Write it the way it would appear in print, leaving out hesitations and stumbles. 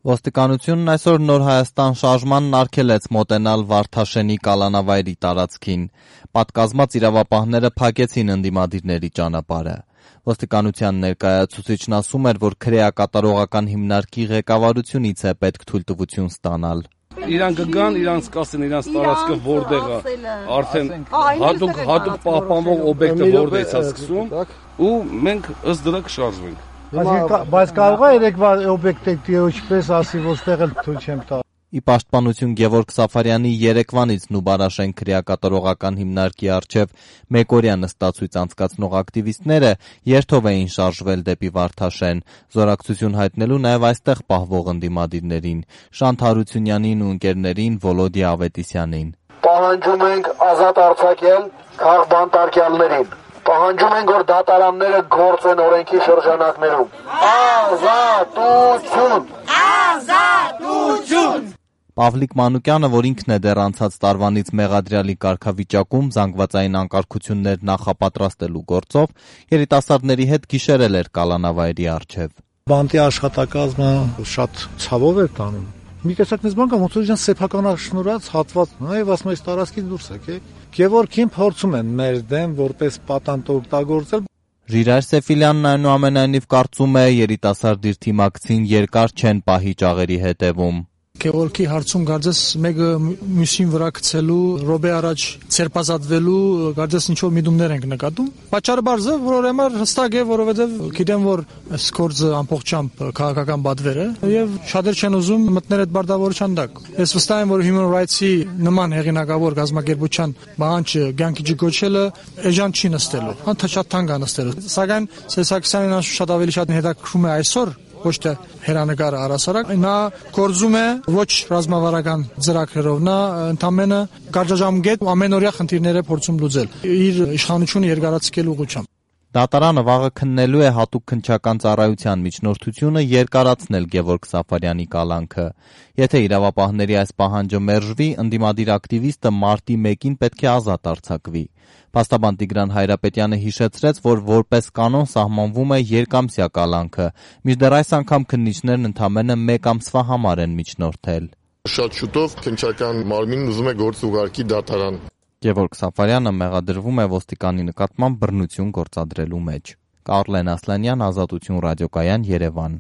Ոստիկանությունն այսօր Նոր Հայաստան շարժմանն արգելեց մոտենալ Վարդաշենի կալանավայրի տարածքին։ Պատկազմած իրավապահները փակեցին ընդդիմադիրների ճանապարհը։ Ոստիկանության ներկայացուցիչն ասում էր, որ քրեակատարողական հիմնարկի ղեկավարությունից է պետք թույլտվություն ստանալ։ Իրան կգան, իրանց կասեն իրանց տարածքը որտեղ է, արդեն հատուկ պահպանվող օբյեկտը որտեղից է սկսում, ու մենք ըստ դրա կշարժվենք։ Բայց կարող է երեկվա օբյեկտի ինչպես ասի, ոստեղ էլ թույլ չեմ տա։ Ի պաշտպանություն Գևորգ Սաֆարյանի երեկվանից Նուբարաշեն քրեակատարողական հիմնարկի առջև մեկօրյա նստացույց անցկացնող ակտիվիստները երթով էին շարժվել դեպի Վարդաշեն, զորակցություն հայտնելու նաև այստեղ պահվող ընդդիմադիրներին՝ Շանթ Հարությունյանին ու ընկերներին Վոլոդիա Ավետիսյանին։ Պահանջում ենք ազատ արձակել քաղբանտարկյալներին։ Պահանջում ենք, որ դատարանները գործեն օրենքի շրջանակներում։ Ազատություն! Ազատություն! Պավլիկ Մանուկյանը, որ ինքն է դեռ անցած տարվանից մեղադրյալի կարգավիճակում զանգվածային անկարգություններ նախապատրաստելու գործով, երիտասարդների հետ գիշերել էր կալանավայրի առջև։ Բանտի աշխատակազմը շատ ցավով էր տանում։ Մի տեսակ մեզ բան կա, ոնց որ իրան սեփականաշնորհած հատված, եւ ասում այս տարածքից դուրս եկեք։ Գևորգին փորձում են մեր դեմ որպես պատանդ օգտագործել։ Ժիրայր Սեֆիլյանն այնուամենայնիվ կարծում է, երիտասարդ իր թիմակցին երկար չեն պահի ճաղերի հետևում։ Գևորգի հարցում կարծես մեկը մյուսին վրա գցելու, ռոբե առաջ ցերպազատվելու, կարծես ինչ-որ միտումներ ենք նկատում։ Պատճառը բարձ է, որ ուրեմն հստակ է, որովհետև գիտեմ, որ այս գործը ամբողջությամբ քաղաքական պատվեր է եւ շատեր չեն ուզում մտնել այդ բարտավորության տակ։ Ես վստահ եմ, որ Human Rights-ի նման հեղինակավոր գազམ་ակերպության բանջը ցանկի ջգոչելը էժան չի նստելու։ Շատ թանկ է նստելու։ Սակայն Սերսակսյանին շատ ավելի շատ հետաքրքրում է այսօր ոչ թե հերանեկարը առասարակ, նա գործում է ոչ ռազմավարական ծրագրերով, նա ընդամենը կարճաժամկետ ամենօրյա խնդիրները փորձում լուծել իր իշխանությունը երկարացկելու ուղղությամբ։ Դատարանը վաղը քննելու է հատուկ քննչական ծառայության միջնորդությունը երկարացնել Գևորգ Սաֆարյանի կալանքը։ Եթե իրավապահների այս պահանջը մերժվի, ընդդիմադիր ակտիվիստը մարտի 1-ին պետք է ազատ արձակվի։ Փաստաբան Տիգրան Հայրապետյանը հիշեցրեց, որ որպես կանոն սահմանվում է երկամսյա կալանքը, մինչդեռ այս անգամ քննիչներն ընդամենը 1 ամսվա համար են միջնորդել։ Շատ շուտով քննչական մարմինն ուզում է գործ ուղարկի դատարան։ Գևորգ Սաֆարյանը մեղադրվում է ոստիկանի նկատմամբ բռնություն գործադրելու մեջ։ Կարլեն Ասլանյան, Ազատություն ռադիոկայան, Երևան։